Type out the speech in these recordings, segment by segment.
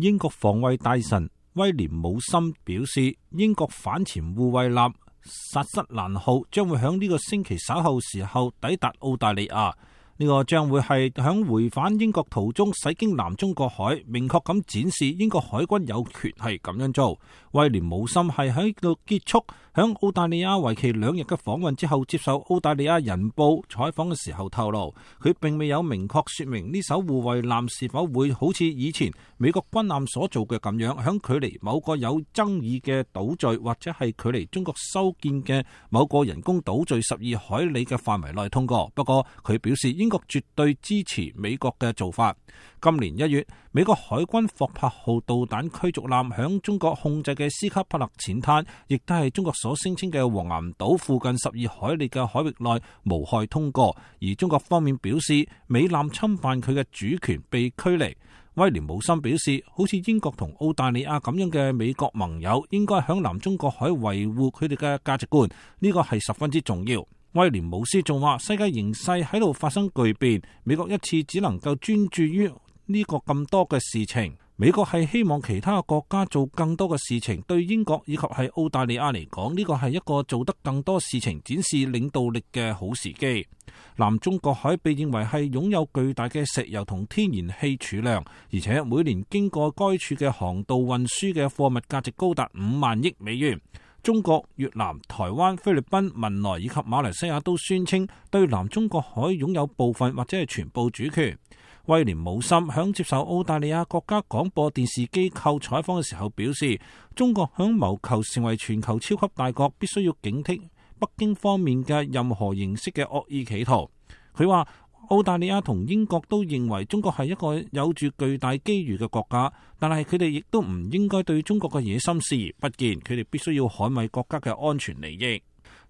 英國防衛大臣威廉姆森表示，英國反潛護衛艦薩瑟蘭號將會喺呢個星期稍後時候抵達澳大利亞。呢個將會係響回返英國途中駛經南中國海，明確咁展示英國海軍有權係咁樣做。威廉姆森係喺度結束響澳大利亞為期2日嘅訪問之後，接受澳大利亞人報採訪嘅時候透露，佢並未有明確說明呢艘護衛艦是否會好似以前美國軍艦所做嘅咁樣，響距離某個有爭議嘅島嶼或者係距離中國修建嘅某個人工島嶼12海里嘅範圍內通過。不過佢表示，英國絕對支持美國嘅做法。今年1月，美國海軍霍珀號導彈驅逐艦響中國控制嘅斯卡帕勒淺灘，亦都係中國所聲稱嘅黃岩島附近12海里嘅海域內無害通過，而中國方面表示美艦侵犯佢嘅主權被驅離。威廉姆森表示，好似英國同澳大利亞咁樣嘅美國盟友，應該響南中國海維護佢哋嘅價值觀，呢個係十分之重要。威廉姆斯仲話，世界形勢喺度發生巨變，美國一次只能夠專注於呢個咁多嘅事情，美國係希望其他嘅國家做更多嘅事情。對英國以及係澳大利亞嚟講，呢個係一個做得更多事情、展示領導力嘅好時機。南中國海被認為係擁有巨大嘅石油同天然氣儲量，而且每年經過該處嘅航道運輸嘅貨物價值高達5萬億美元。中國、越南、台灣、菲律賓、文萊以及馬來西亞都宣稱對南中國海擁有部分或者係全部主權。威廉姆森響接受澳大利亞國家廣播電視機構採訪嘅時候表示，中國響謀求成為全球超級大國，必須要警惕北京方面嘅任何形式嘅惡意企圖。佢話，澳大利亞同英國都認為中國係一個有住巨大機遇嘅國家，但係佢哋亦都唔應該對中國嘅野心視而不見，佢哋必須要捍衛國家嘅安全利益。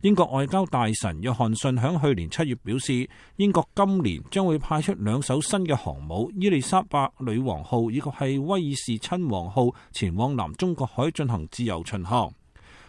英國外交大臣約翰遜響去年7月表示，英國今年將會派出2艘新嘅航母伊麗莎白女王號以及係威爾士親王號前往南中國海進行自由巡航。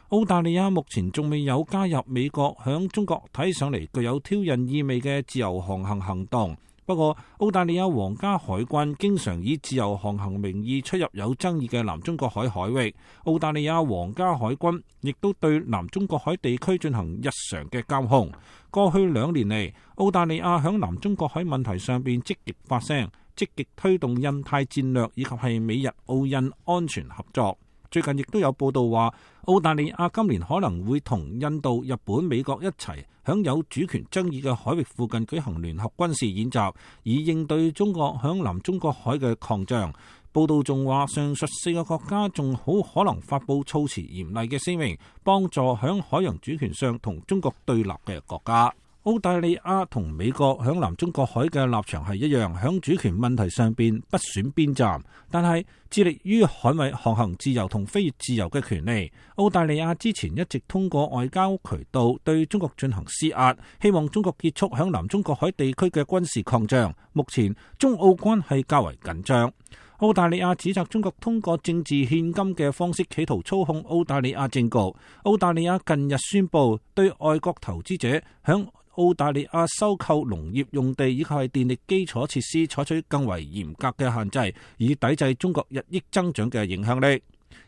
澳大利亞目前仲未有加入美國響中國睇上嚟具有挑釁意味嘅自由航行行動。不過，澳大利亞皇家海軍經常以自由航行名義出入有爭議嘅南中國海海域。澳大利亞皇家海軍亦都對南中國海地區進行日常嘅監控。過去2年嚟，澳大利亞響南中國海問題上邊積極發聲，積極推動印太戰略以及係美日澳印安全合作。最近亦都有報道話，澳大利亞今年可能會同印度、日本、美國一齊響有主權爭議嘅海域附近舉行聯合軍事演習，以應對中國響南中國海嘅擴張。報道仲話，上述4個國家仲好可能發佈措辭嚴厲嘅聲明，幫助響海洋主權上同中國對立嘅國家。澳大利亞同美國響南中國海嘅立場係一樣，響主權問題上邊不選邊站，但係致力於捍衛航行自由同飛越自由嘅權利。澳大利亞之前一直通過外交渠道對中國進行施壓，希望中國結束響南中國海地區嘅軍事擴張。目前中澳關係較為緊張。澳大利亞指責中國通過政治獻金嘅方式企圖操控澳大利亞政局。澳大利亞近日宣布對外國投資者響澳大利亞收購農業用地以及係電力基礎設施採取更為嚴格嘅限制，以抵制中國日益增長嘅影響力。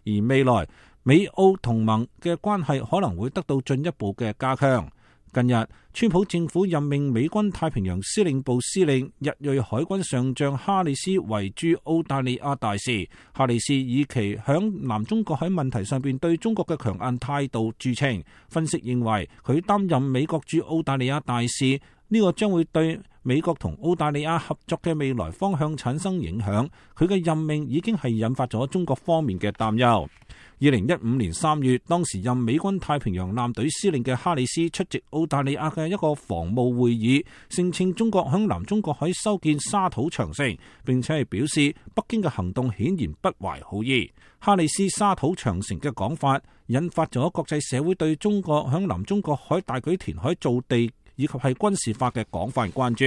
而未來美澳同盟嘅關係可能會得到進一步嘅加強。近日，川普政府任命美軍太平洋司令部司令日裔海軍上將哈里斯為駐澳大利亞大使。哈里斯以其響南中國海問題上邊對中國嘅強硬態度著稱。分析認為，佢擔任美國駐澳大利亞大使，呢個將會對美國同澳大利亞合作嘅未來方向產生影響。佢嘅任命已經係引發咗中國方面嘅擔憂。2015年3月，當時任美軍太平洋艦隊司令嘅哈里斯出席澳大利亞嘅一個防務會議，聲稱中國響南中國海修建沙土長城，並且係表示北京嘅行動顯然不懷好意。哈里斯沙土長城嘅講法引發咗國際社會對中國響南中國海大舉填海造地以及係軍事化嘅廣泛關注。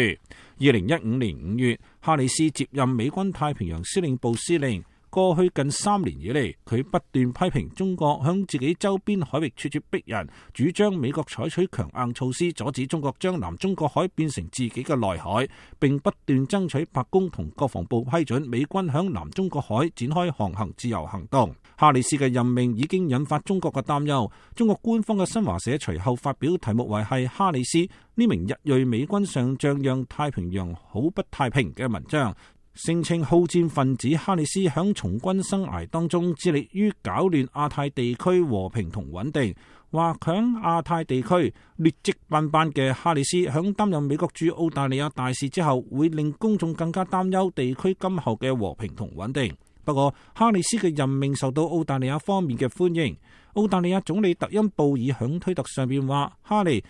2015年5月，哈里斯接任美軍太平洋司令部司令。過去近3年以嚟，佢不斷批評中國向自己周邊海域咄咄逼人，主張美國採取強硬措施阻止中國將南中國海變成自己嘅內海，並不斷爭取白宮同國防部批准美軍響南中國海展開航行自由行動。哈里斯嘅任命已經引發中國嘅擔憂。中國官方嘅新華社隨後發表題目為係哈里斯呢名日裔美軍上將讓太平洋好不太平嘅文章，聲稱好戰分子哈里斯響從軍生涯當中致力於搞亂亞太地區和平同穩定，話響亞太地區劣跡斑斑嘅哈里斯響擔任美國駐澳大利亞大使之後，會令公眾更加擔憂地區今後嘅和平同穩定。不過，哈里斯嘅任命受到澳大利亞方面嘅歡迎。澳大利亞總理特恩布爾響推特上邊話：哈利，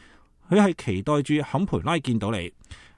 佢係期待住坎培拉見到你。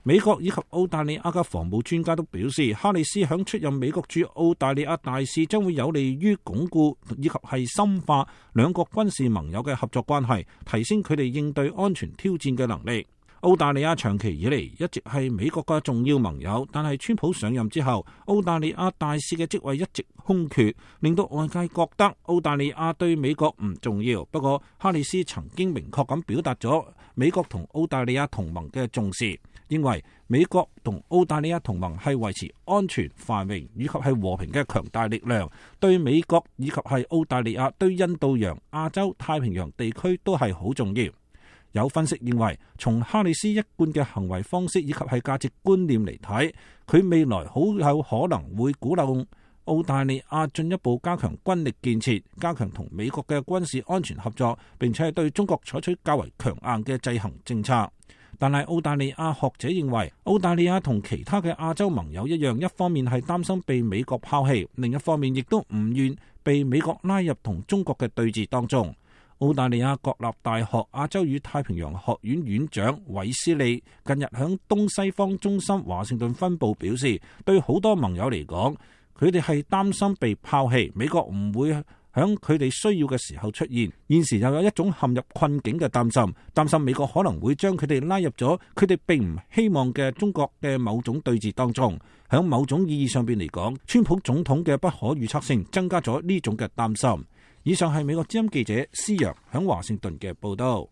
美國以及澳大利亞嘅防務專家都表示，哈里斯響出任美國駐澳大利亞大使將會有利於鞏固以及係深化兩國軍事盟友嘅合作關係，提升佢哋應對安全挑戰嘅能力。澳大利亞長期以嚟一直係美國嘅重要盟友，但係川普上任之後，澳大利亞大使嘅職位一直空缺，令到外界覺得澳大利亞對美國唔重要。不過，哈里斯曾經明確咁表達咗美國同澳大利亞同盟嘅重視，認為美國同澳大利亞同盟係維持安全、繁榮以及係和平嘅強大力量，對美國以及係澳大利亞對印度洋、亞洲、太平洋地區都係好重要。有分析認為，從哈里斯一貫嘅行為方式以及係價值觀念嚟睇，佢未來好有可能會鼓勵澳大利亞進一步加強軍力建設，加強同美國嘅軍事安全合作，並且係對中國採取較為強硬嘅制衡政策。但係澳大利亞學者認為，澳大利亞同其他嘅亞洲盟友一樣，一方面係擔心被美國拋棄，另一方面亦都唔願被美國拉入同中國嘅對峙當中。澳大利亞國立大學亞洲與太平洋學院院長韋斯利近日響東西方中心華盛頓分部表示，對好多盟友嚟講，佢哋係擔心被拋棄，美國唔會響佢哋需要嘅時候出現。現時又有一種陷入困境嘅擔心美國可能會將佢哋拉入咗佢哋並唔希望嘅中國嘅某種對峙當中。響某種意義上邊嚟講，川普總統嘅不可預測性增加咗呢種嘅擔心。以上係美國之音記者施陽響華盛頓嘅報道。